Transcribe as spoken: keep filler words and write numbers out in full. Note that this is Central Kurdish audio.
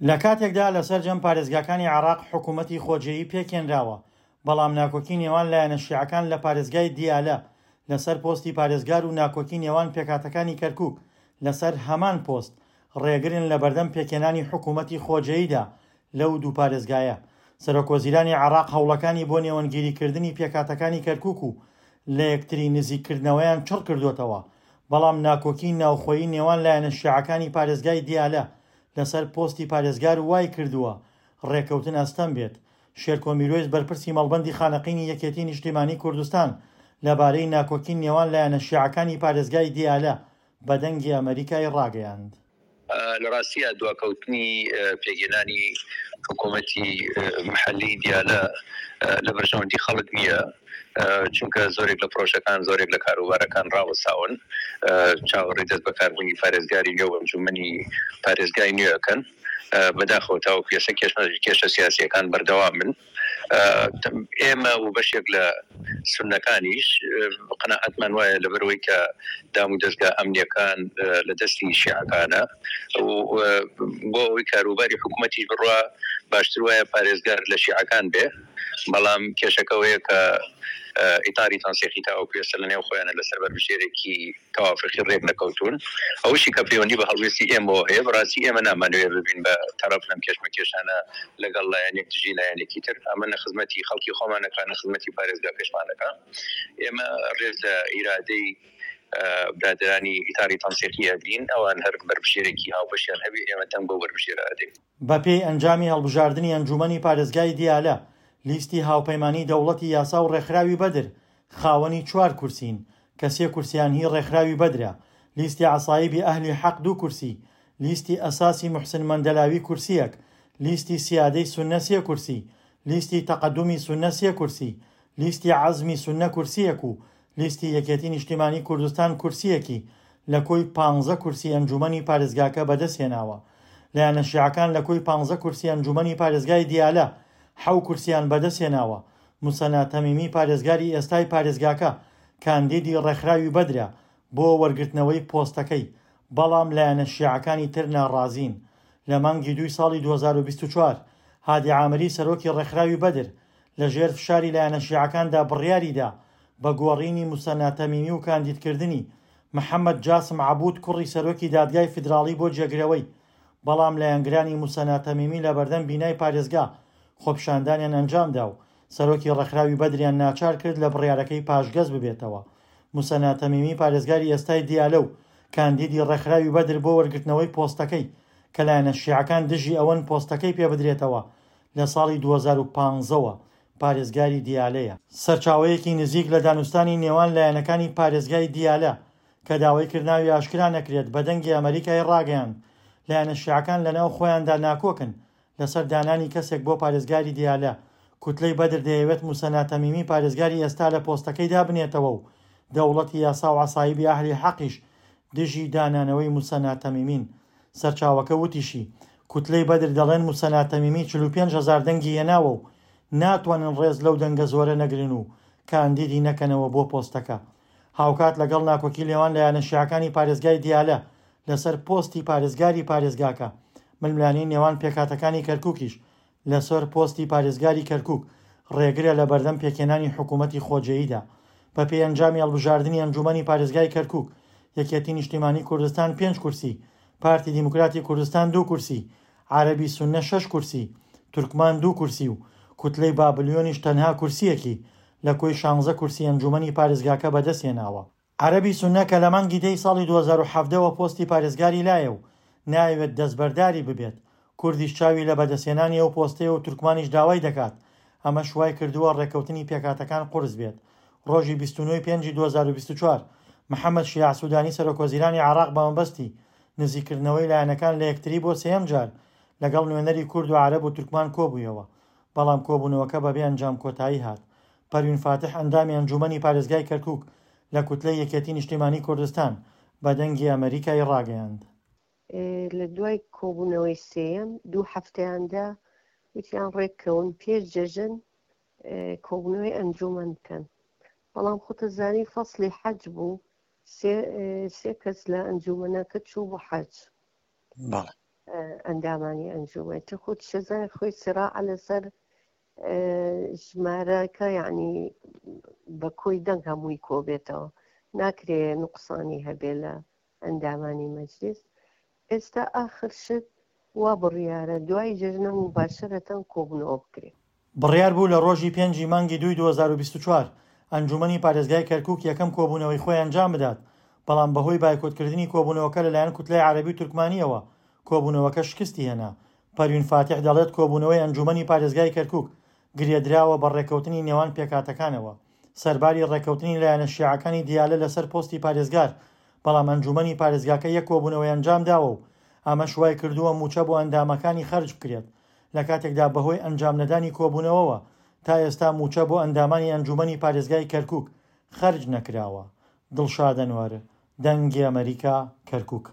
لە کاتێکدا لە سەرجەم پارێزگاکانی عێراق حکوومەتی خۆجێیی پێکهێنراوە، بەڵام ناکۆکی نێوان لایەنە شیعەکان لە پارێزگای دیالە لەسەر پۆستی پارێزگار و ناکۆکی نێوان پێکهاتەکانی کەرکوک لەسەر هەمان پۆست ڕێگرن لەبەردەم پێکهێنانی حکوومەتی خۆجێیدا لەو دوو پارێزگایە. سەرۆکوەزیرانی عێراق هەوڵەکانی بۆ نێوەندگیریکردنی پێکهاتەکانی کەرکوک و لەیەکتری نزیککردنەوەیان چڕکردووەتەوە، بەڵام ناکۆکی ناوخۆیی نێوان لایەنە شیعەکانی پارێزگای دیالە لەسەر پۆستی پارێزگار وایکردووە ڕێککەوتن ئەستەم بێت. شێرکۆ میرۆیس بەرپرسی مەڵبەندی خانەقینی یەکێتی نیشتیمانی کوردستان لەبارەی ناکۆکی نێوان لایەنە شیعەکانی پارێزگای دیالە بە دەنگی ئەمەریکای ڕاگەیاند. لە ڕاستییا دواکەوتنی پێکهێنانی حکوومەتی محەلی دیالە لە بەرژەوەندی خەڵک نییە، چونکە زۆرێک لە پرۆژەکان، زۆرێک لە کاروبارەکان ڕاوەستاون، چاوەڕێی دەست بەکاربوونی پارێزگاری نوێ و ئەنجوومەنی پارێزگای نوێ ئەکەن. بەداخەوە تاوەکو ئێستا کێشە سیاسییەکان بەردەوامن. ئێمە و بەشێک لە سوننەکانیش قەناعەتمان وایە لەبەرئەوەی کە دام و دەزگا ئەمنییەکان لە دەستی شیعەکانە و بۆ ئەوەی کاروباری حکوومەتیش بڕوا باشتر وایە پارێزگار لە شیعەکان بێ، بەڵام کێشەکە ئەوەیە کە ئیتاری تەنسیقی تاوەکو ئێستا لەنێو خۆیانە لەسەر بەربژێرێکی تەوافقی رێک نەکەوتوون. ئەوەشی کە پەیوەندی بە هەڵوێستی ئێمەوە هەیە، بەڕاستی ئێمە نامانەوێت ببین بە تەڕەف لەم کێشمەکێشانە لەگەڵ لایەنێک دژی لایەنێکی تر. ئەمە نە خزمەتی خەڵکی خۆمان ئەکا، نە خزمەتی پارێزگاکەشمان ئەکا. ئێمە رێز لە ئیرادەی برادەرانی ئیتاری تەنسیقی ئەگرین، ئەوان هەر بەربژێرێکی هاوبەشیان هەبێ ئێمە دەنگ بەو بەربژێرە ئەدەین. بەپێی ئەنجامی هەڵبژاردنی ئەنجوومەنی پارێزگای دیالە، لیستی هاوپەیمانیی دەوڵەتی یاسا و ڕێکخراوی بەدر خاوەنی چوار کورسین، کە سێ کورسیان هی ڕێکخراوی بەدرە، لیستی عەسایبی ئەهلی حەق دوو کورسی، لیستی ئەساسی موحسن مەندەلاوی کورسییەک، لیستی سیادەی سوننە سێ کورسی، لیستی تەقەدومی سوننە سێ کورسی، لیستی عەزمی سوننە کورسییەک و لیستی یەکێتی نیشتیمانی کوردستان کورسییەکی لە کۆی پانزە کورسی ئەنجوومەنی پارێزگاکە بەدەستهێناوە. لایەنە شیعەکان لە کۆی پانزە کورسی ئەنجوومەنی پارێزگای دیالە، حەو کورسیان بەدەستهێناوە، موسەنا تەمیمی پارێزگاری ئێستای پارێزگاکە کاندیدی ڕێکخراوی بەدرە بۆ وەرگرتنەوەی پۆستەکەی، بەڵام لایەنە شیعەکانی تر ناڕازین. لە مانگی دووی ساڵی دوو هەزار و بیست و چوار هادی عامری سەرۆکی ڕێکخراوی بەدر لەژێر فشاری لایەنە شیعەکاندا بڕیاریدا بە گۆڕینی موسەنا تەمیمی و کاندیدکردنی محەمەد جاسم عەبود کوڕی سەرۆکی دادگای فیدراڵی بۆ جێگرەوەی، بەڵام لایەنگرانی موسەنا تەمیمی لەبەردەم بینای پارێزگا خۆپیشاندانیان ئەنجامدا و سەرۆکی ڕێکخراوی بەدریان ناچار کرد لە بڕیارەکەی پاشگەز ببێتەوە. موسەنا تەمیمی پارێزگاری ئێستای دیالە و کاندیدی ڕێکخراوی بەدر بۆ وەرگرتنەوەی پۆستەکەی کە لایەنە شیعەکان دژی ئەوەن پۆستەکەی پێبدرێتەوە لە ساڵی دوو هەزار و پازدە وە پارێزگاری دیالەیە. سەرچاوەیەکی نزیک لە دانوستانی نێوان لایەنەکانی پارێزگای دیالە کە داوای کرد ناوی ئاشکرا نەکرێت بە دەنگی ئەمەریکای ڕاگەیاند لایەنە شیعەکان لەناو خۆیاندا ناکۆکن لەسەر دانانی کەسێک بۆ پارێزگاری دیالە، کوتلەی بەدر دەیەوێت موسەنا تەمیمی پارێزگاری ئێستا لە پۆستەکەی دابنێتەوە و دەوڵەتی یاسا و عەسایبی ئەهلی حەقیش دژی دانانەوەی موسەنا تەمیمین. سەرچاوەکە وتیشی، کوتلەی بەدر دەڵێن موسەنا تەمیمی چل و پێنج هەزار دەنگی هێناوە و ناتوانن ڕێز لەو دەنگە زۆرە نەگرن و کاندیدی نەکەنەوە بۆ پۆستەکە. هاوکات لەگەڵ ناکۆکی نێوان لایەنە شیعەکانی پارێزگای دیالە لەسەر پۆستی پارێزگاری پارێزگاکە، ململانێی نێوان پێکهاتەکانی کەرکوکیش لەسەر پۆستی پارێزگاری کەرکوک ڕێگرە لەبەردەم پێکهێنانی حکومەتی خۆجێیدا. بەپێی ئەنجامی هەڵبژاردنی ئەنجومەنی پارێزگای کەرکوک، یەکێتی نیشتیمانی کوردستان پێنج کورسی، پارتی دیموکراتی کوردستان دوو کورسی، عەرەبی سوننە شەش کورسی، تورکمان دوو کورسی و کوتلەی بابلیۆنیش تەنها کورسییەکی لە کۆی شانزە کورسی ئەنجومەنی پارێزگاکە بەدەستهێناوە. عەرەبی سوننە کە لە مانگی دەی ساڵی دوو هەزار و حەڤدە وە پۆستی پارێزگاری لایە و نایەوێت دەستبەرداری ببێت، کوردیش چاوی لە بەدەستهێنانی ئەو پۆستەیە و تورکمانیش داوای دەکات، ئەمەش وایکردووە ڕێککەوتنی پێکهاتەکان قورس بێت. ڕۆژی بیست و نۆ ی پێنجی دوو هەزار و بیست و چوار محەمەد شیاع سودانی سەرۆکوەزیرانی عێراق بەمەبەستی نزیککردنەوەی لایەنەکان لە یەکتری بۆ سێیەم جار لەگەڵ نوێنەری کورد و عەرەب و تورکمان کۆبوویەوە، بەڵام کۆبوونەوەکە بەبێ ئەنجام کۆتایی هات. پەروین فاتح ئەندامی ئەنجوومەنی پارێزگای کەرکوک لە کوتلەی یەکێتی نیشتیمانی کوردستان بە دەنگی ئەمەریکای ڕاگەیاند. لە دوای کۆبوونەوەی سێیەم دوو هەفتەیاندا وتیان ڕێککەون پێش جەژن کۆبوونەوەی ئەنجومەن بکەن، بەڵام خۆتەزانی فەصلی حەج بوو، سێ کەس لە ئەنجومەنەکە چوو بۆ حەج. ئەندامانی ئەنجومەن تر خۆت شەزای خۆی سراع لەسەر ژمارەکە یعنی بە کۆی دەنگ هەمووی کۆبێتەوە ناکرێ نوقسانی هەبێ لە ئەندامانی مەجلیس. ئێستا ئاخر شت وا بڕیارە دوای جەژنە مباشرەتەن کۆبوونەوە بکرێت. بڕیار بوو لە ڕۆژی پێنجی مانگی دووی دوو هەزار و بیست و چوار ئەنجومەنی پارێزگای کەرکوک یەکەم کۆبوونەوەی خۆی ئەنجام بدات، بەڵام بەهۆی بایکۆتکردنی کۆبوونەوەکە لەلایەن کوتلەی عەرەبی و تورکمانیەوە کۆبوونەوەکە شکستی هێنا. پەروین فاتیح دەڵێت کۆبوونەوەی ئەنجومەنی پارێزگای کەرکوک گرێدراوە بە ڕێککەوتنی نێوان پێکهاتەکانەوە. سەرباری ڕێککەوتنی لایەنە شیعەکانی دیالە لەسەر پۆستی پارێزگار، بەڵام ئەنجومەنی پارێزگاکە یەک کۆبوونەوەی ئەنجام داوە و ئەمەش وای کردووە موچە بۆ ئەندامەکانی خەرج بکرێت، لە کاتێکدا بەهۆی ئەنجام نەدانی کۆبوونەوەوە تا ئێستا موچە بۆ ئەندامانی ئەنجومەنی پارێزگای کەرکوک خەرج نەکراوە. دڵشاد ئەنوەر، دەنگی ئەمریکا، کەرکوک.